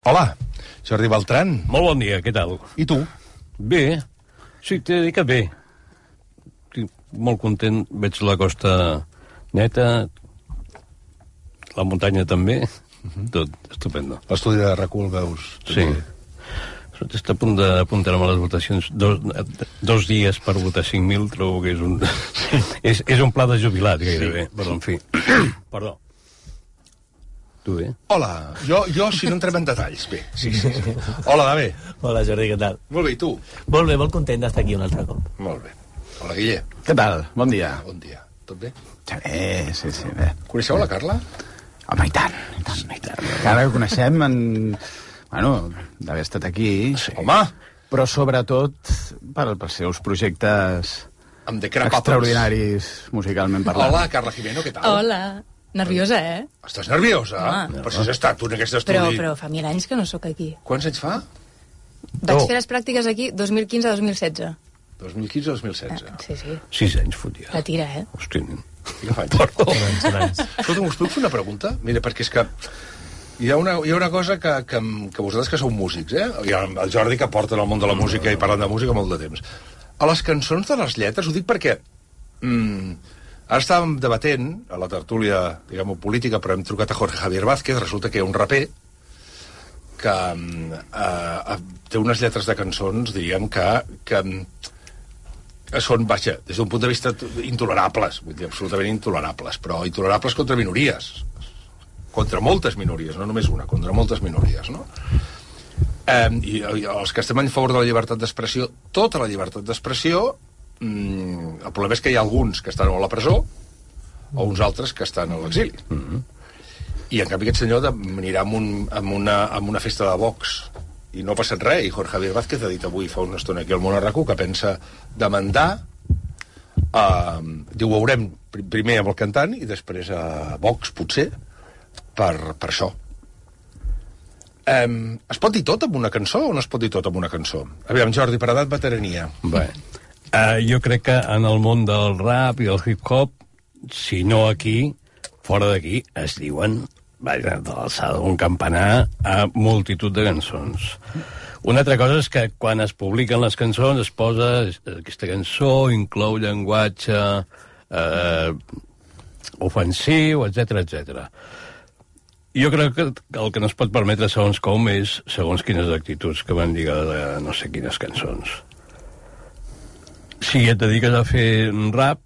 Hola, Jordi Beltran. Molt bon dia, què tal? I tu? Bé, sí, t'he de dir que bé. Estic molt content, veig la costa neta, la muntanya també, tot estupendo. L'estudi de Recul, veus? Sí. Està a punt d'apuntar-me les votacions. 2 dies per votar 5.000, trobo que és un... és un pla de jubilat, gairebé. Sí. Però, en fi, perdó. Tu bé? Hola, jo si no entrem en detalls, bé. Sí. Hola, David. Hola, Jordi, què tal? Molt bé, i tu? Molt bé, molt content d'estar aquí un altre cop. Molt bé. Hola, Guille. Què tal? Bon dia. Bon dia. Tot bé? Sí, bé. Coneixeu la Carla? Home, i tant. Encara que coneixem d'haver estat aquí. Sí. Home! Però sobretot pels seus projectes extraordinaris musicalment parlant. Hola, Carla Jimeno, què tal? Hola. Nerviosa, Estàs nerviosa? Per si has estat tu en aquest estudi. Però fa 1000 anys que no sóc aquí. Quants anys fa? Vaig fer les pràctiques aquí 2015-2016. 2015-2016. Sí. 6 anys, fotia. La tira, Hosti, nen. Perdó. Escolta, us puc fer una pregunta? Mira, perquè és que hi ha una cosa que vosaltres que sou músics, Hi ha el Jordi que porta en el món de la música i parlant de música molt de temps. A les cançons de les lletres, ho dic perquè... Ara estàvem debatent a la tertúlia, diguem-ho, política, però hem trucat a Jorge Javier Vázquez, resulta que hi ha un raper que té unes lletres de cançons, diguem, que són, vaja, des d'un punt de vista intolerables, vull dir, absolutament intolerables, però intolerables contra minories, contra moltes minories, no només una, contra moltes minories, no? I els que estem en favor de la llibertat d'expressió, tota la llibertat d'expressió, el problema és que hi ha alguns que estan a la presó o uns altres que estan a l'exili. I en canvi aquest senyor anirà amb una festa de Vox i no ha passat res, i Jorge Javier Vázquez ha dit avui fa una estona aquí al Món RAC1 que pensa demandar diu, veurem primer amb el cantant i després a Vox, potser per això. Es pot dir tot amb una cançó o no es pot dir tot amb una cançó? Aviam, Jordi, per edat, veterania. Bé, jo crec que en el món del rap i el hip-hop, si no aquí, fora d'aquí, es diuen, de l'alçada d'un campanar, a multitud de cançons. Una altra cosa és que quan es publiquen les cançons es posa aquesta cançó, inclou llenguatge ofensiu, etc. Jo crec que el que no es pot permetre segons com és segons quines actituds que van lligades a no sé quines cançons. Si et dediques a fer rap,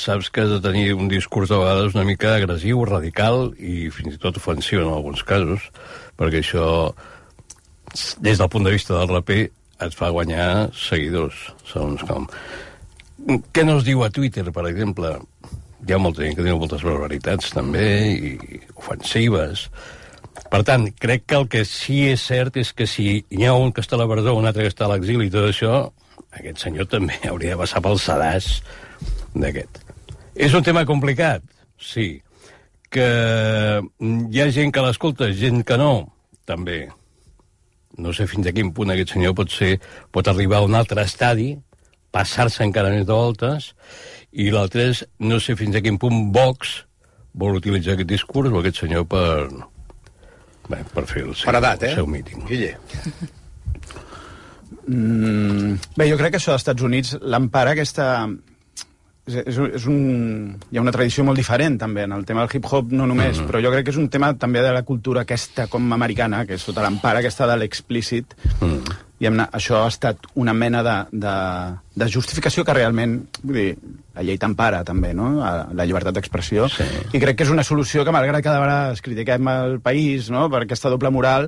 saps que has de tenir un discurs de vegades una mica agressiu, radical i fins i tot ofensiu en alguns casos, perquè això, des del punt de vista del raper, et fa guanyar seguidors, segons com. Què no es diu a Twitter, per exemple? Hi ha molta gent que diu moltes barbaritats, també, i ofensives. Per tant, crec que el que sí és cert és que si hi ha un que està a la presó, un altre que està a l'exili i tot això, aquest senyor també hauria de passar pel sedàs d'aquest. És un tema complicat, sí. Que hi ha gent que l'escolta, gent que no, també. No sé fins a quin punt aquest senyor pot arribar a un altre estadi, passar-se encara més de voltes, i l'altre és, no sé fins a quin punt Vox vol utilitzar aquest discurs o aquest senyor per fer el seu míting. Guille. Bé, jo crec que això dels Estats Units l'empara aquesta... Hi ha una tradició molt diferent també en el tema del hip-hop, no només, però jo crec que és un tema també de la cultura aquesta com americana, que és tota l'empara aquesta de l'explícit, i això ha estat una mena de justificació que realment, vull dir, la llei t'empara també, no?, la llibertat d'expressió, sí. I crec que és una solució que malgrat cada vegada es critiquem el país, no?, per aquesta doble moral,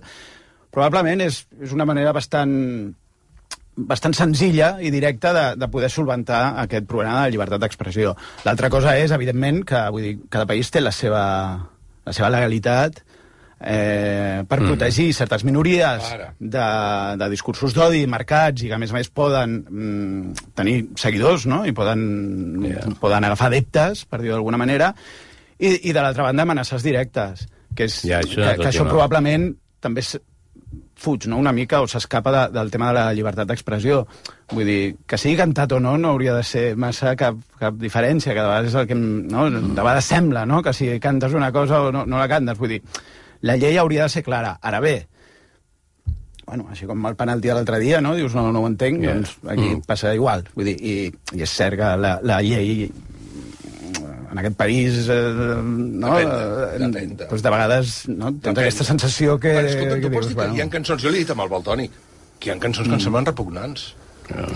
probablement és una manera bastant senzilla i directa de poder solventar aquest problema de la llibertat d'expressió. L'altra cosa és, evidentment, que vull dir, cada país té la seva legalitat per protegir certes minories de discursos d'odi marcats i que, a més, poden tenir seguidors, no?, i poden agafar adeptes, per dir-ho d'alguna manera, i de l'altra banda, amenaces directes, que això probablement també fuig, no?, una mica, o s'escapa del tema de la llibertat d'expressió. Vull dir, que sigui cantat o no hauria de ser massa cap diferència, que de vegades és el que, no?, de vegades sembla, no?, que si cantes una cosa o no la cantes. Vull dir, La llei hauria de ser clara. Ara bé, bueno, així com el penalti de l'altre dia, no? Dius, no ho entenc, doncs aquí passa igual. Vull dir, i és cert que la llei en aquest país, no? Depèn. Doncs de vegades, no? Tens aquesta sensació que... Però escolta, tu pots dir que hi ha cançons, jo l'he dit amb el Valtònic, que hi ha cançons que em semblen repugnants.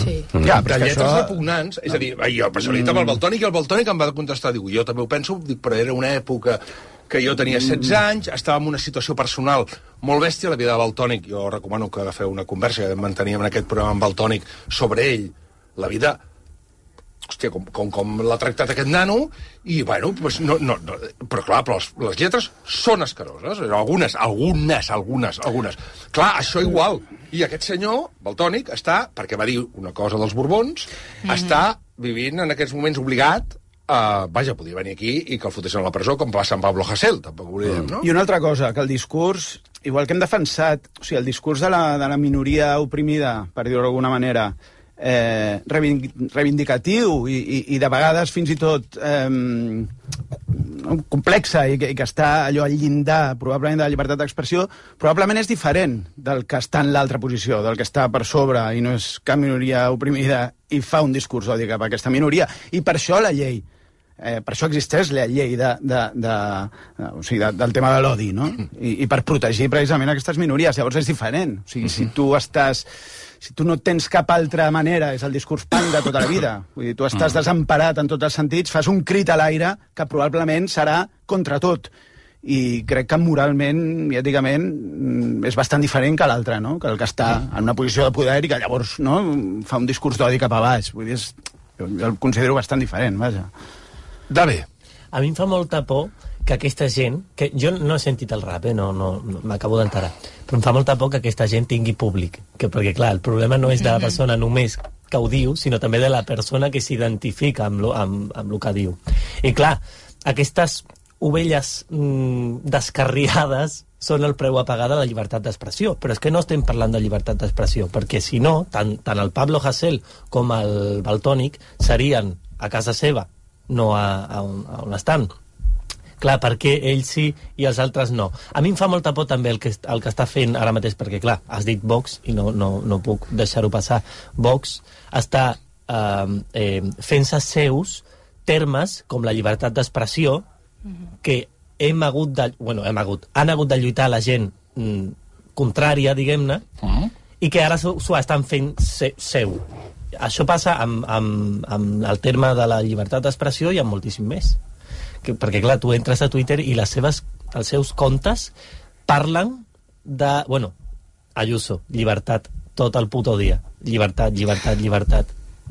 Sí. Ja, De però és que lletres això... repugnants, és a dir, jo per això l'he dit amb el Valtònic, i el Valtònic em va contestar, diu, jo també ho penso, dic, però era una època que jo tenia 16 anys, estava en una situació personal molt bèstia, la vida de Valtònic, jo recomano que agafeu una conversa que manteníem en aquest programa amb Valtònic sobre ell, la vida, hòstia, com l'ha tractat aquest nano, i, bueno, pues no, però clar, però les lletres són escaroses, algunes. Clar, això igual. I aquest senyor, Valtònic, està, perquè va dir una cosa dels Borbons, està vivint en aquests moments obligat vaja, podia venir aquí i que el fotessin a la presó, com passa amb Pablo Hasél, tampoc ho oblidem, no? I una altra cosa, que el discurs, igual que hem defensat, o sigui, el discurs de la minoria oprimida, per dir-ho d'alguna manera, reivindicatiu i de vegades fins i tot complexa i que està allò al llindar probablement de la llibertat d'expressió, probablement és diferent del que està en l'altra posició, del que està per sobre i no és cap minoria oprimida i fa un discurs d'odi cap a aquesta minoria. I per això la llei, per això existeix la llei o sigui, del tema de l'odi, no? I per protegir precisament aquestes minories. Llavors és diferent. O sigui, si tu no tens cap altra manera, és el discurs punk de tota la vida. Vull dir, tu estàs desemparat en tots els sentits, fas un crit a l'aire que probablement serà contra tot. I crec que moralment i èticament és bastant diferent que l'altre, no? Que el que està en una posició de poder i que llavors, no, fa un discurs d'odi cap a baix. Vull dir, jo el considero bastant diferent, vaja. Dave. A mi em fa molta por que aquesta gent, que jo no he sentit el rap, no m'acabo d'enterar, però em fa molta por que aquesta gent tingui públic, perquè clar, el problema no és de la persona només que ho diu, sinó també de la persona que s'identifica amb el que diu. I clar, aquestes ovelles descarriades són el preu a pagar de la llibertat d'expressió, però és que no estem parlant de llibertat d'expressió, perquè si no, tant el Pablo Hasél com el Valtònic serien a casa seva, no a on estan. Clar, per què ells sí i els altres no? A mi em fa molta por també el que està fent ara mateix, perquè clar, has dit Vox i no puc deixar-ho passar. Vox està fent-se seus termes com la llibertat d'expressió que han hagut de lluitar la gent contrària, diguem-ne, i que ara s'ho estan fent seu. Això passa amb el terme de la llibertat d'expressió i amb moltíssim més. Perquè, clar, tu entres a Twitter i els seus comptes parlen de... Bueno, Ayuso, llibertat, tot el puto dia. Llibertat.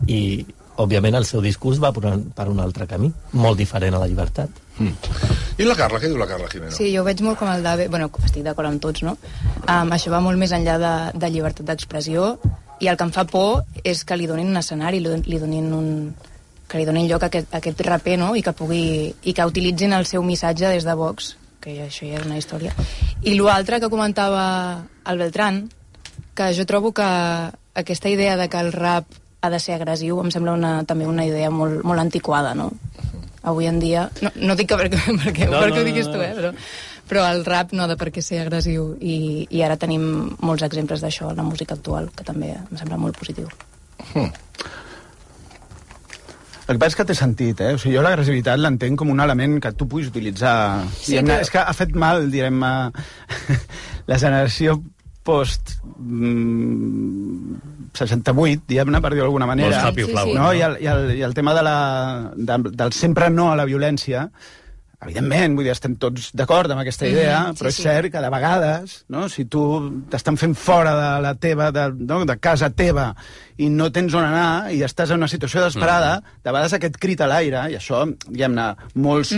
I, òbviament, el seu discurs va per un altre camí, molt diferent a la llibertat. I la Carla, què diu la Carla Jimeno? Sí, jo ho veig molt com el Dave... Bueno, estic d'acord amb tots, no? Això va molt més enllà de llibertat d'expressió, i el que em fa por és que li donin un escenari, que li donin lloc a aquest raper, no? I que utilitzin el seu missatge des de Vox, que això ja és una història. I l'altre que comentava el Beltrán, que jo trobo que aquesta idea de que el rap ha de ser agressiu em sembla també una idea molt, molt antiquada, no? Avui en dia... No dic que perquè ho diguis tu, però el rap no ha de per què ser agressiu, i ara tenim molts exemples d'això en la música actual, que també em sembla molt positiu. El que passa és que té sentit, O sigui, jo l'agressivitat l'entenc com un element que tu puguis utilitzar. Sí, però... És que ha fet mal, direm, la generació post 68, diguem-ne, per dir-ho d'alguna manera. No? I el tema del sempre no a la violència, evidentment, vull dir, estem tots d'acord amb aquesta idea, però és cert que de vegades, no, si tu t'estan fent fora de la teva, de casa teva, i no tens on anar, i estàs en una situació desesperada, de vegades aquest crit a l'aire, i això, diguem-ne, molts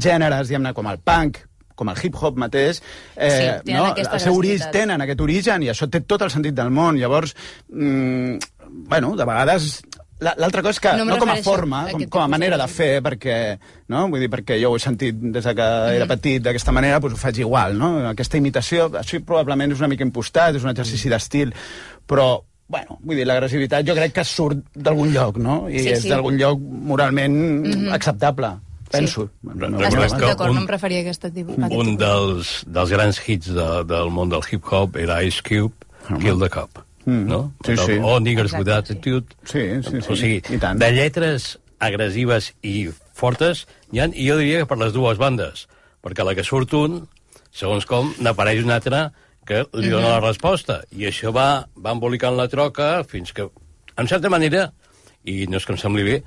gèneres, diguem-ne, com el punk, com el hip-hop mateix, el seu tenen aquest origen, i això té tot el sentit del món. Llavors, bueno, de vegades... L'altra cosa és que, no com a forma, com a manera de fer, perquè, no? Vull dir, perquè jo ho he sentit des que era petit d'aquesta manera, doncs ho faig igual, no? Aquesta imitació, això probablement és una mica impostat, és un exercici d'estil, però, bueno, vull dir, l'agressivitat jo crec que surt d'algun lloc, no? I és d'algun lloc moralment acceptable. penso. D'acord, no em referia a aquesta tipus. Un dels grans hits del món del hip-hop era Ice Cube, Kill the Cop. No? Sí, sí. O Niggers with Attitude. Sí. O sigui, I tant. de lletres agressives i fortes, i jo diria que per les dues bandes, perquè a la que surt un, segons com, n'apareix un altre que li dona la resposta, i això va embolicant la troca fins que, en certa manera, i no és que em sembli bé,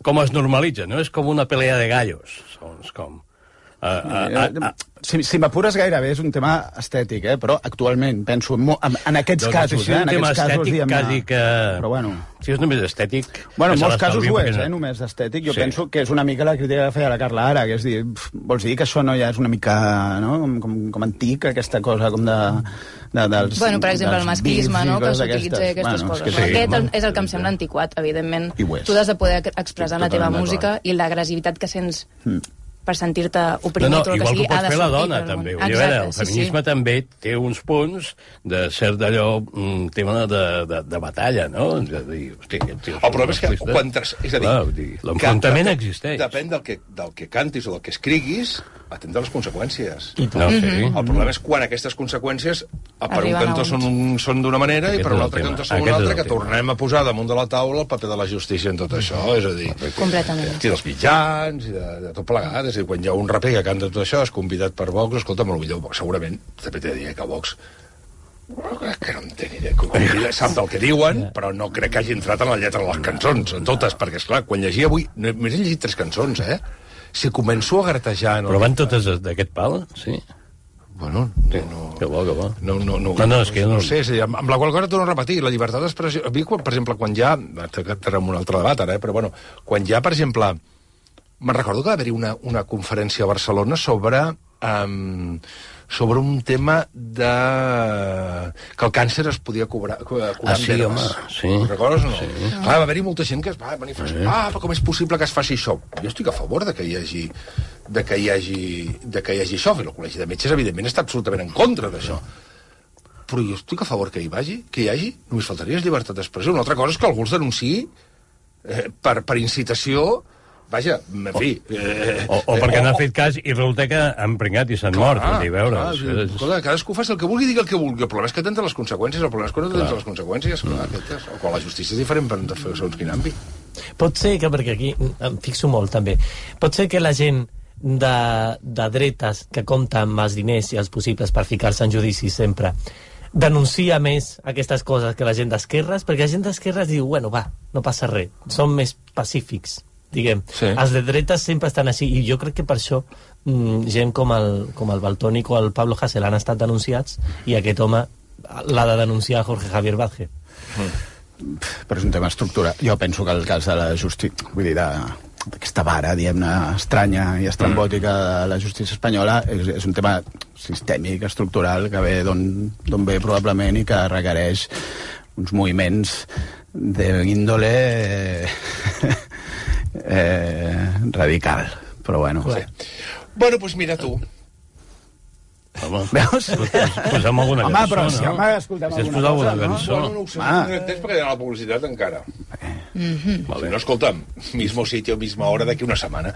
com es normalitza, no? És com una pelea de gallos, segons com. Si m'apures gairebé és un tema estètic, però actualment penso en aquests casos, és un tema estètic quasi que... Però bueno... Si és només estètic... Bueno, en molts casos ho és, només estètic. Jo penso que és una mica la crítica que feia la Carla ara, que és dir, vols dir que això no ja és una mica, no?, com antic, aquesta cosa com dels... Bueno, per exemple, el masclisme, no?, que s'utilitza aquestes coses. Aquest és el que em sembla antiquat, evidentment. Tu has de poder expressar la teva música i l'agressivitat que sents per sentir-te oprimit o el que sigui, ha de sortir. Igual que ho pot fer la dona, també. El feminisme també té uns punts de cert d'allò, un tema de batalla, no? El problema és que és a dir, l'enfrontament existeix. Depèn del que cantis o del que escriguis, atenta a les conseqüències. El problema és quan aquestes conseqüències per un cantó són d'una manera i per un altre cantó són una altra, que tornem a posar damunt de la taula el paper de la justícia en tot això, és a dir, i dels mitjans i de tot plegat. És a dir, quan hi ha un raper que canta tot això, és convidat per Vox, escolta, potser segurament també t'he de dir que Vox que no en té ni idea, sap del que diuen, però no crec que hagi entrat en la lletra de les cançons, en totes, perquè, esclar, quan llegia avui, només he llegit 3 cançons, si començo a gratejar... Però van totes d'aquest pal, sí? Bueno, Que bo. No, és que no sé, amb la qual cosa torno a repetir, la llibertat d'expressió... A mi, per exemple, quan hi ha... Tenim un altre debat ara, però bueno, quan hi ha, per exemple... Me'n recordo que va haver-hi una conferència a Barcelona sobre un tema de... que el càncer es podia curar amb herbes. Sí. Recordes o no? Sí. Clar, va haver-hi molta gent que es va manifestar, però com és possible que es faci això? Jo estic a favor de que hi hagi això, i el Col·legi de Metges, evidentment, està absolutament en contra d'això. Però jo estic a favor que hi hagi, només faltaria llibertat d'expressió. Una altra cosa és que algú els denunciï per incitació. Vaja, en fi... O perquè no ha fet cas i resulta que han pringat i s'han mort. Cadascú fa el que vulgui i digui el que vulgui. El problema és que tens les conseqüències. El problema és que no tens les conseqüències. O quan la justícia és diferent per fer segons quin àmbit. Pot ser que, perquè aquí em fixo molt també, pot ser que la gent de dretes que compta amb els diners i els possibles per ficar-se en judici sempre denuncia més aquestes coses que la gent d'esquerres, perquè la gent d'esquerres diu, bueno, va, no passa res, són més pacífics, diguem. Sí. Els de dretes sempre estan així, i jo crec que per això gent com el Valtònic o el Pablo Hasél han estat denunciats, i aquest home l'ha de denunciar Jorge Javier Vázquez. Però és un tema estructural. Jo penso que el cas de la justícia, vull dir, d'aquesta vara, diguem-ne, estranya i estrambòtica de la justícia espanyola, és un tema sistèmic, estructural, que ve d'on ve probablement i que requereix uns moviments d'índole radical, però bueno. Sí. Bueno, doncs mira tu. Home, veus? Posem alguna cançó, però no? si, home, escoltem alguna cançó. Bueno, no ho sé, no tens perquè hi ha la publicitat encara. Vale, no, escolta'm, mismo sitio, misma hora d'aquí una setmana.